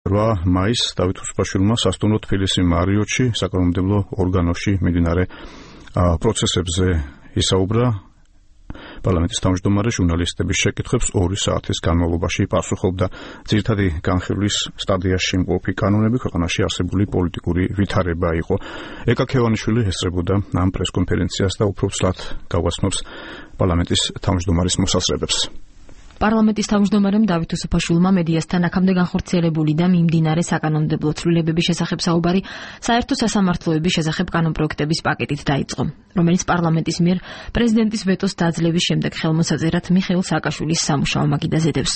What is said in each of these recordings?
8 მაისს დავით უსუპაშვილმა სასტუმრო თბილისი მარიოტში საკანონმდებლო ორგანოში მიმდინარე პროცესებზე ისაუბრა. პარლამენტის თავმჯდომარე ჟურნალისტების შეკითხვებს 2 საათის განმავლობაში პასუხობდა. ძირითადი განხილვის სტადიაში მყოფი კანონები ქვეყანაში არსებული პოლიტიკური ვითარება იყო. ეკა ქევანიშვილი ესწრებოდა ამ პრესკონფერენციას და უფრო ცლად გავაცნობს პარლამენტის თავმჯდომარის მოსაზრებებს. პარლამენტის თავმჯდომარემ დავით უსუფაშვილმა მედიასთან აქამდე განხორციელებული და მიმდინარე საკანონმდებლო ცვლილებების შესახებ საუბარი საერთო სასამართლოების შესახებ კანონპროექტების პაკეტით დაიწყო, რომელიც პარლამენტის მიერ პრეზიდენტის ვეტოს დაძლევის შემდეგ ხელმოსაწერად მიხეილ სააკაშვილის სამუშაო მაგიდაზე დევს.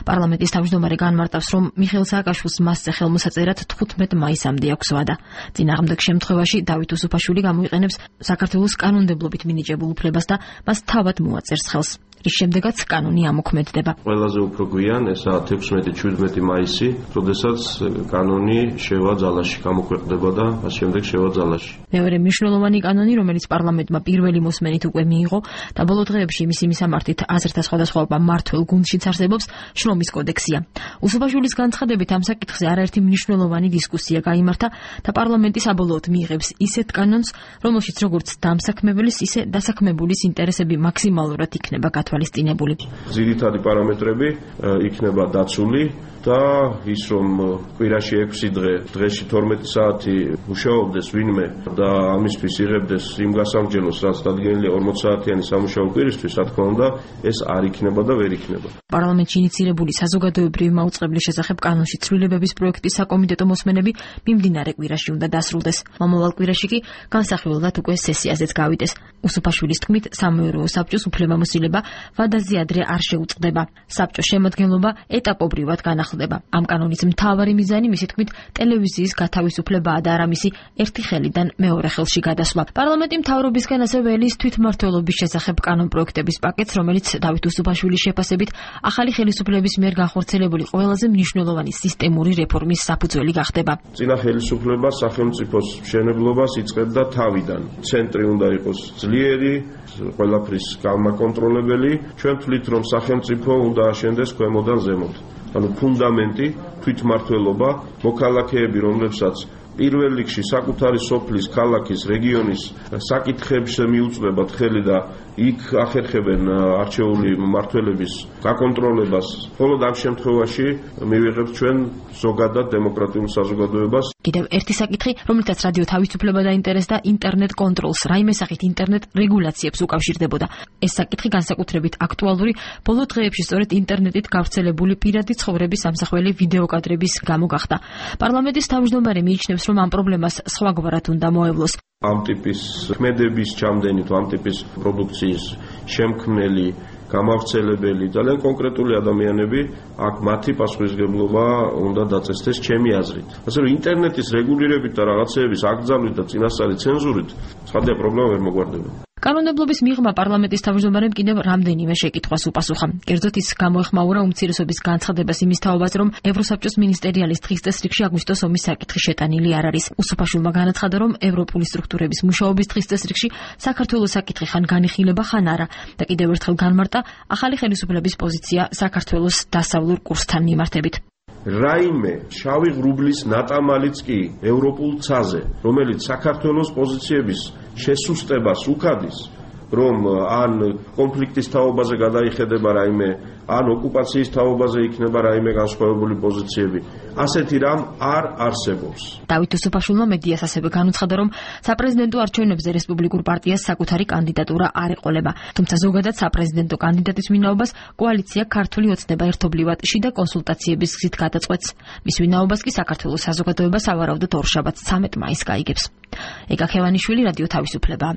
პარლამენტის თავმჯდომარე განმარტავს, რომ მიხეილ სააკაშვილს მასზე ხელმოსაწერად 15 მაისამდე აქვს ვადა. წინააღმდეგ შემთხვევაში დავით უსუფაშვილი გამოიყენებს საქართველოს კანონმდებლობით მინიჭებულ უფლებას და მას თავად მოაწერს ხელს. რის შემდეგაც კანონი ამოქმედდება. ყველაზე უფრო გვიან, ესაა 16-17 მაისი, როდესაც კანონი შევა ძალაში, გამოქვეყნდება და მას შემდეგ შევა ძალაში. მეორე მნიშვნელოვანი კანონი, რომელიც პარლამენტმა პირველი მოსმენით უკვე მიიღო და ბოლო დღეებში მისი მისამართით აზრთა სხვადასხვაობა მმართველ გუნდშიც არსებობს, შრომის კოდექსია. უსუფაშვილის განცხადებით ამ საკითხზე არაერთი მნიშვნელოვანი დისკუსია გაიმართა და პარლამენტი საბოლოოდ მიიღებს ისეთ კანონს, რომელშიც როგორც დამსაქმებლის, ისე დასაქმებულის ინტერესები მაქსიმალურად იქნება თვალისწინებული. ძირითადი პარამეტრები იქნება დაცული და ის რომ კვირაში 6 დღეში 12 საათი მუშაობდეს ვინმე და ამისთვის იღებდეს იმ გასამჯელოს, რაც დადგენილია 40 საათიანი სამუშაო კვირისთვის, რა თქმა უნდა, ეს არ იქნება და ვერ იქნება. პარლამენტში ინიცირებული საზოგადოებრივი მაუწყებლის შესახებ კანონში ცვლილებების პროექტის საკომიტეტო მოსმენები მიმდინარე კვირაში უნდა დასრულდეს. მომავალ კვირაში კი განსახილველად უკვე სესიაზეც გავიდეს. უსუფაშვილის თქმით, სამეურვეო საბჭოს უფლებამოსილება ვადაზე ადრე არ შეუწყდება. საბჭოს შემადგენლობა ეტაპობრივად განახლდება. ამ კანონის მთავარი მიზანი, მისი თქმით, ტელევიზიის გათავისუფლებაა და არა მისი ერთი ხელიდან მეორე ხელში გადასვლა. პარლამენტი მთავრობისგან ასევე ელის თვითმმართველობის შესახებ კანონპროექტების პაკეტს, რომელიც დავით უსუფაშვილის შეფასებით ახალი ხელისუფლების მიერ განხორციელებული ყველაზე მნიშვნელოვანი სისტემური რეფორმის საფუძველი გახდება. წინა ხელისუფლება სახელმწიფოს მშენებლობას იწყებდა თავიდან. ცენტრი უნდა იყოს ძლიერი, ყველაფრის გამაკონტროლებელი. ჩვენ თვლით, რომ სახელმწიფო უნდა აშენდეს ქვემოდან ზემოთ. ანუ ფუნდამენტი, თვითმმართველობა, მოქალაქეები, რომლებსაც პირველ რიგში საკუთარი სოფლის, ქალაქის, რეგიონის საკითხებს მიუწვევად ხელი და იქ ახერხებენ არჩეული მმართველების გაკონტროლებას. მხოლოდ ამ შემთხვევაში მივიღებთ ჩვენ ზოგადად დემოკრატიულ საზოგადოებას. კიდევ ერთი საკითხი, რომელთაც რადიო თავისუფლება დაინტერესდა, ინტერნეტ კონტროლს, რაიმე სახით ინტერნეტ რეგულაციებს უკავშირდებოდა. ეს საკითხი განსაკუთრებით აქტუალური ბოლო დღეებში სწორედ ინტერნეტით გავრცელებული პირადი ცხოვრების ამსახველი ვიდეოკადრების გამო გახდა. პარლამენტის თავმჯდომარე მიიჩნევს, რომ ამ პრობლემას სხვაგვარად უნდა მოევლოს. ამ ტიპის ქმედების ჩამდენი თუ ამ ტიპის პროდუქციის შემქმნელი, გამავრცელებელი ძალიან კონკრეტული ადამიანები, აქ მათი პასუხისმგებლობა უნდა დაწესდეს ჩემი აზრით. ასე რომ ინტერნეტის რეგულირებით და რაღაცეების აკრძალვით და წინასწარი ცენზურით ცხადია პრობლემა ვერ მოგვარდება. კანონმდებლობის მიღმა პარლამენტის თავმჯდომარემ კიდევ რამდენიმე შეკითხვას უპასუხა. კერძოდ ის გამოეხმაურა უმცირესობის განცხადებას იმის თაობაზე, რომ ევროსაბჭოს მინისტერიალის დღის წესრიგში აგვისტოს ომის საკითხი შეტანილი არ არის. უსუფაშვილმა განაცხადა, რომ ევროპული სტრუქტურების მუშაობის დღის წესრიგში საქართველოს საკითხი ხან განიხილება, ხან არა და კიდევ ერთხელ განმარტა ახალი ხელისუფლების პოზიცია საქართველოს დასავლურ კურსთან მიმართებით. რაიმე შავი ღრუბლის ნატამალიც კი ევროპულ ცაზე, რომელიც საქართველოს პოზიციების შესუსტებას უქადის, რომ ან კონფლიქტის თაობაზე გადაიხედება რაიმე, ან ოკუპაციის თაობაზე იქნება რაიმე განსხვავებული პოზიციები. ასეთი რამ არ არსებობს. დავით უსუფაშვილმა მედიას ასევე განუცხადა, რომ საპრეზიდენტო არჩევნებზე რესპუბლიკურ პარტიას საკუთარი კანდიდატურა არ ეყოლება. თუმცა ზოგადად საპრეზიდენტო კანდიდატის ვინაობას კოალიცია ქართული ოცნება ერთობლივად შიდა კონსულტაციების გზით გადაწყვეტს. მის ვინაობას კი საქართველოს საზოგადოება სავარაუდოდ ორშაბათს 13 მაისს გაიგებს. ეკა ქევანიშვილი, რადიო თავისუფლება.